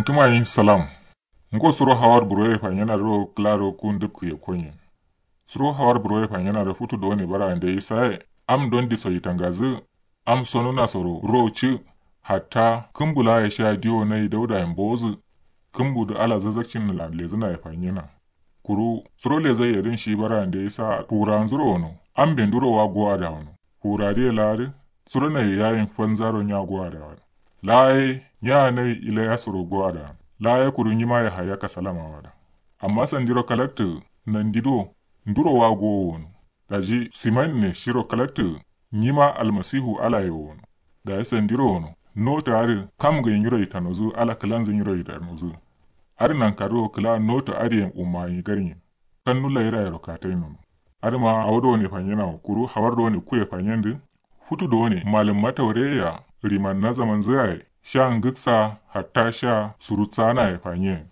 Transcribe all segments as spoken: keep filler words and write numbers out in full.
Tǝmayi salam. Ngo suro hawar buroye fanyena dǝro kǝlaro ku ndǝpkǝ ye konyen. Suro hawar buroye fanyena dǝ futu done bara ande isaye. Am don diso yitangazǝ. Am sonuna soro ro cǝ. Hatta kǝmbu laye sha diwo nayi dauda ye mbozǝ. Kǝmbu dǝ ala zazakcin nǝla lezǝna ye fanyena. Kuru suro lezai ye dǝn shi bara ande isa furanzuro wono. Am be nduro wa gowa da wono. Fura diye laa dǝ suro nayi yayin fanzaro nya gowa da wono. Laa ye nya nayi ila ya suro gowa da wono. Laa ye kuru nyima ye haya kasalama wada. Amma sandiro kalaktǝ nandi do nduro wa gowo wono. Daji siman ne shiro kalaktǝ nyima almasihu ala ye wono. Daji sandiro wono noto adǝ kam ngai nyiro yitanozǝ ala kǝlanzǝ nyiro yitanozǝ. Adǝ nankaro kǝla noto adǝ yen umma nyi garnyi. Kannu laira yero katai nono. Adǝma awo done fanyena wo kuru hawar done kuye fanyendǝ. Futu done malǝmma taure ya rimanna zamanzǝ yaye sha ngǝksa hatta sha surutsana ye fanyen.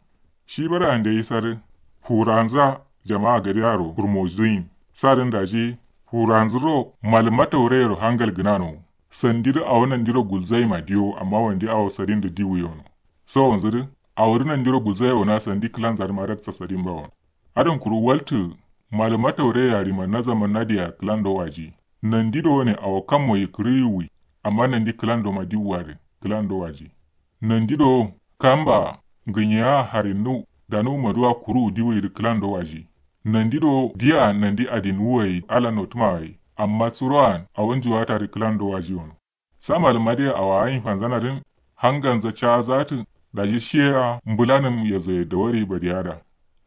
Shi bara ande isarǝ furanza jama'a gade aro furmozǝ yin. Sadǝn daji furanzǝ ro malǝmma taure yero hangal gǝnano. Sandidǝ awo nandiro gulzai ma diyo amma wandi awo sadindǝ diwu yono. Sawonzǝ dǝ awo dǝ nandiro gulzai wona sandi kǝlanza dǝ ma raksa sadin ba wono. Adǝn kuru waltǝ malǝma taure ya rimanna zamanna diya kǝlando waji. Nandi do ne awo kammo yikǝrǝ yiwui. Amma nandi kǝlando ma diwwa dǝ kǝlando waji. Nandi do kamba ngǝnyeya harinnu danuwu maduwa kuruwu diwui dǝ kǝlando waji. Nandi do diya nandi adinwuwai ala notǝmawai. Amma suro'an awo njuwata dǝ kǝlando waji wono. Sa malǝmma dǝ ye awa ayin fanzana dǝn hanganza cazatǝ. Daji shiye ya mbǝlanǝm yezoye dawari badiyada.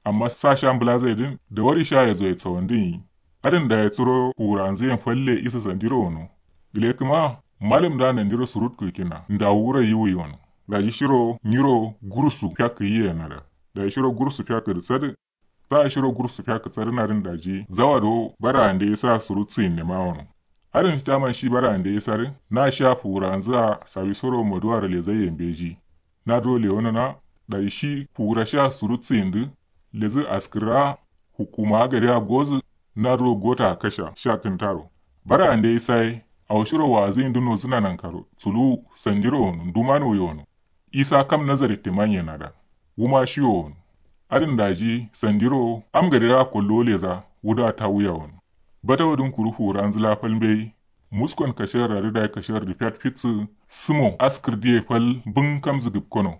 Amma sa sha mbǝlazaye dǝn dawari sha yezoye tsawandǝn yi. Adǝn daye suro furanzǝ yen falle isa sandiro wono. Gǝle kǝma malǝm da nandiro surutkǝ kina ndawu wuro yiwui wono. Daji shiro nyiro gursu fiyakkǝ yiye nada. Daji shiro gursu fiyakkǝ dǝ sadǝ. Sa shiro gursu fiya kǝtsadǝna dǝn daji zawa do bara ande isa surutsǝ yinne ma wono. Adǝn shi taman shi bara ande isa dǝ na sha fuwuranzǝ a sawisoro maduwaro lezai ye mbeji. Na duro lewonona daji shi fuwura sha surutsǝ yindǝ. Lezǝ askǝrra hukuma gade a gozǝ. Na duro gota kasha sha kǝntaro. Bara ande isa ye awo shiro wa'azǝ yindǝ nozǝna nankaro suluwu sandiro wono nduman wuye wono. Isa kam nazari timan ye nada. Wuma shiwo wono. Adǝn daji sandiro am gadera kollo leza wuda tawuya wono. Batawo dǝn kuru fuwuranzǝ la fal mbeyi. Muskon kashiyar ra dǝ dayi kashiyar dǝ fiyat fitsǝ. Sǝmo askǝr diye fal bǝng kamzǝ gǝpkono.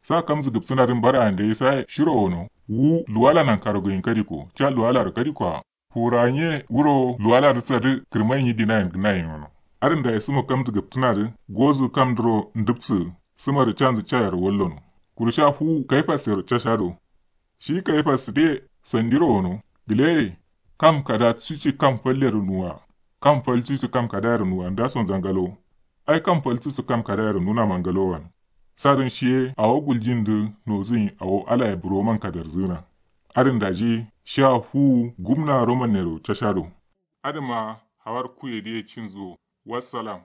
Sa kamzǝ gǝpsǝna dǝn bara ande isaye shiro wono. Wu luwala nankaro gǝyin kadiko ca luwalaro kadiko a. Fuwura nye wuro luwala dǝ tsadǝ kǝrmai nyi dinayen gǝnayen wono. Adǝn dayi sǝmo kamdǝ gǝptǝna dǝ gozǝ kamdǝro ndǝpsǝ. Sǝma dǝ canzǝ cayero wallono. Kuru sha fuwu kaifas yero cashado. Shi kaifas dǝ ye sandiro wono. Gǝle ye kam kada cuci kam fal yero nuwa. Kam fal cuci kam kada yero nuwa ndason zangalo. Ai kam fal cuci kam kada yero nuna mangalo wan. Sadǝn shiye awo guljin dǝ nozǝ yin awo alaye buroman kaderzǝna. Adǝn daji sha fuwu gumna roman nero cashado. Adǝma hawar kuye diye cinzǝ wo. Wassalam.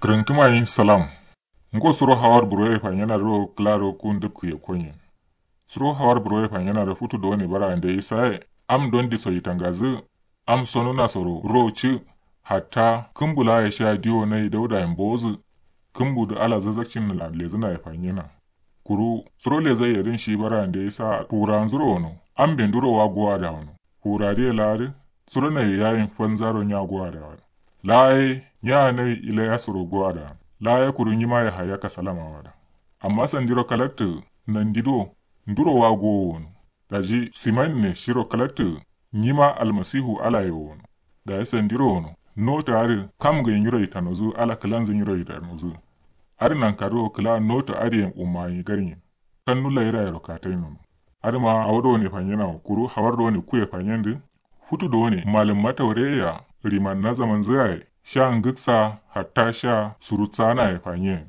Kǝrǝntǝma yin salam. Ngo suro hawar buroye fanyena dǝro kǝlaro ku ndǝpkǝ ye konyen. Suro hawar buroye fanyena dǝ futu done bara ande isaye. Am don diso yitangazǝ. Am sonuna soro ro cǝ. Hatta kǝmbu laye sha diwo nayi dauda ye mbozǝ. Kǝmbu dǝ ala zazakcin nǝla lezǝna ye fanyena. Kuru suro lezai ye dǝn shi bara ande isa fuwuranzuro wono. Am be nduro wa gowa da wono. Fuwura diye laa dǝ suro nayi yayin fanzaro nya gowa da wono. Laa ye nya nayi ila ya suro gowa da wono. Laa ye kuru nyima ye haya kasalama wada. Amma sandiro kalaktǝ nandi do nduro wa gowo wono. Daji siman ne shiro kalaktǝ nyima almasihu ala ye wono. Dayi sandiro wono. Noto adǝ kam ngai nyiro yitanozǝ ala kǝlanzǝ nyiro yitanozǝ. Adǝ nankaro kǝla noto adǝ yen umma nyi garnyi. Kannu laira yero katai nono. Adǝma awo done fanyena wo kuru hawar done kuye fanyendǝ. Futu done malǝmma taure ya rimanna zamanzǝ yaye sha ngǝksa hatta sha surutsana ye fanyen.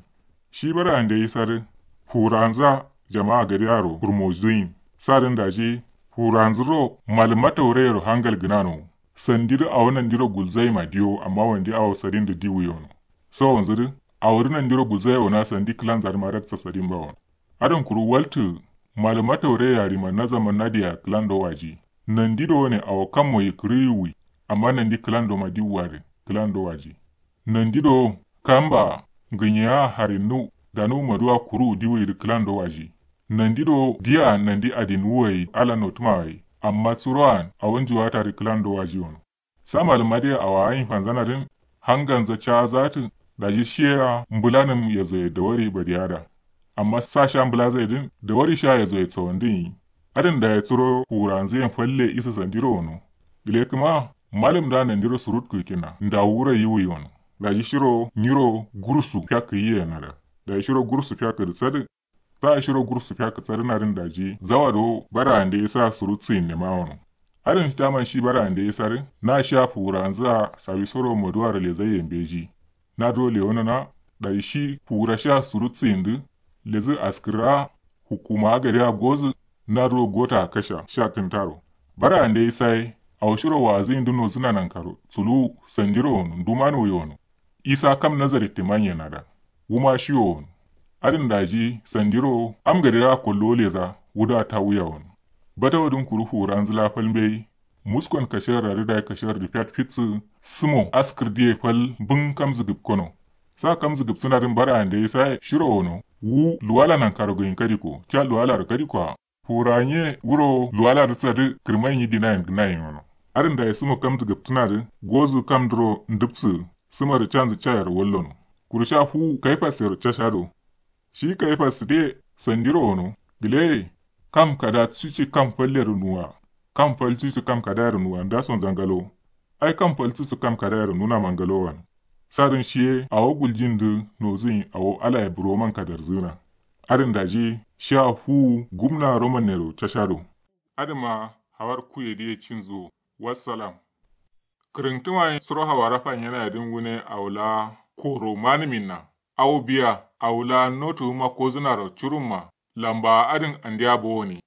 Shi bara ande isa dǝ fuwuranza jama'a gade aro furmozǝ yin. Sadǝn daji fuwuranzǝ ro malǝmma taure yero hangal gǝnano. Sandi dǝ awo nandiro gulzai ma diyo amma wandi awo sadin dǝ diwu yono. Sawonzǝ dǝ Awo dǝ nandiro buzaye wona sandi kǝlanza dǝ ma raksa sadin bawo. Adǝn kuru waltǝ. Malǝma taure yari mannaza mannadiya kǝlando waji. Nandi do ne awo kammo yikǝrǝ yiwwi. Amma nandi kǝlando ma diwwa dǝ kǝlando waji. Nandi do kamba. Ngǝnyeya harinnu. Danu maduwa kuru diwwi dǝ kǝlando waji. Nandi do diya nandi adin wuwayi ala notuma wayi. Amma suro'an awo njuwata dǝ kǝlando waji wono. Sa malǝma dǝ ye awa ayin fanzana dǝn. Hanganza ca zatǝ. Daji shiye ya mbǝlanǝm yezoye dawari badiyada. Amma sa sha mbǝlazaye dǝn dawari sha yezoye tsawandǝn yi. Adǝn daye suro fuwuranzǝ yen falle isǝ sandiro wono. Gǝle kǝma. Malǝm da nandiro surut kǝkina ndawu wura yiwwi wono. Daji shiro nyiro gursu fiyakkǝ yiye nada. Daji shiro gursu fiyakkǝ dǝ sadǝ. Sa shiro gursu fiyakkǝ sadǝna dǝn daji zawa do bara ande isa surutsu yinne ma wono. Adǝn shi taman shi bara ande isa dǝ. Na sha fuwuranzǝ a sawisoro maduwaro lezaiye mbeji. Na duro lewonona. Daji shi fuwura sha surutsu yindǝ. Lezǝ askǝra. Hukuma gade a gozǝ. Na duro gota kasha sha kǝntaro. Bara ande isa ye. Awo shiro wazǝ yindǝ nozǝna nankaro suluwu sandiro wono nduma nuwi wono. Isa kam nazari timanye nada. Wuma shiwo wono. Adǝn daji sandiro am gadera kollo leza. Wuda tawuya wono. Batawo dǝn kuru fuwuranzǝ la fal mbeyi. Muskon kashar rarǝ dayi kashar dǝ fiyat fitsǝ. Sǝmo askǝr diye fal bǝn kamzǝ gǝpkono. Sa kamzǝ gǝpsǝna dǝn bara ande isa ye shiro wono. Wu luwala nankaro gǝyin kadiko ca luwalaro kadiko a. Furanye wuro luwala dǝ tsadǝ kǝrmai nyi dinayin gǝnayin wono. Adǝn dayi sǝmo kamdǝ gǝptǝna dǝ gozǝ kamdǝro ndǝpsǝ. Sǝma dǝ canzǝ cayero wallono. Kuru sha fuwu kaifas yero cashado. Shi kaifas dǝ ye sandiro wono. Gǝle ye. Kam kada cuci kam fallero nuwa. Kam fal cuci kam kadayero nuwa ndasonza ngalo. Ai kam fal cuci kam kadayero nunama ngalowan. Sadǝn shiye awo guljin dǝ nozǝyin awo alaye buroman kadarzǝna. Adǝn daji sha fuwu gumna romannero cashado. Adǝma hawar kuye diye cinzuwo. Wassalam. Kǝrǝntǝma suro hawara fanyena yadǝn wune awula koro manǝminna. Awo biya awula notu wuma kozǝnaro curumma. Lamba adǝn andiya bowoni.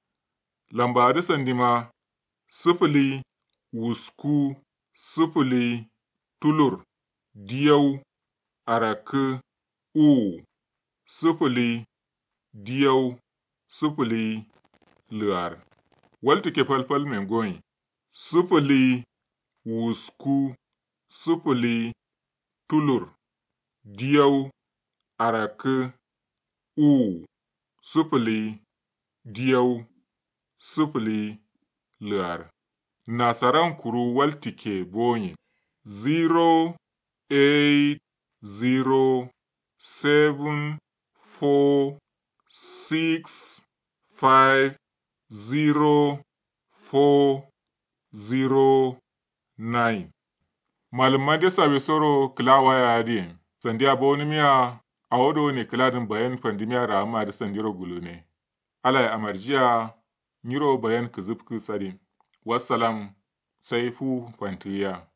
Lamba adǝ sandima. Sǝfǝli wusku sǝfǝli tulur diyau arakkǝ uwu sǝfǝli diyau sǝfǝli lǝar. Waltǝkke falfal mengoyin. Sǝfǝli wusku sǝfǝli tulur diyau arakkǝ uwu sǝfǝli diyau sǝfǝli lǝar. Nasaran kuru waltǝkke boyin. Zero eight zero seven four six five zero four zero nine. Malǝmma de sawisoro kǝla waya adǝ yen sandiya bowonǝmiya. Awo do ne kǝladǝn bayan fandǝmiya rahamma adǝ sandiro gulune. Alaye amarjiya. Nyiro bayan kǝzǝfkǝ sadin. Wassalam. Sai fu fantǝgiya.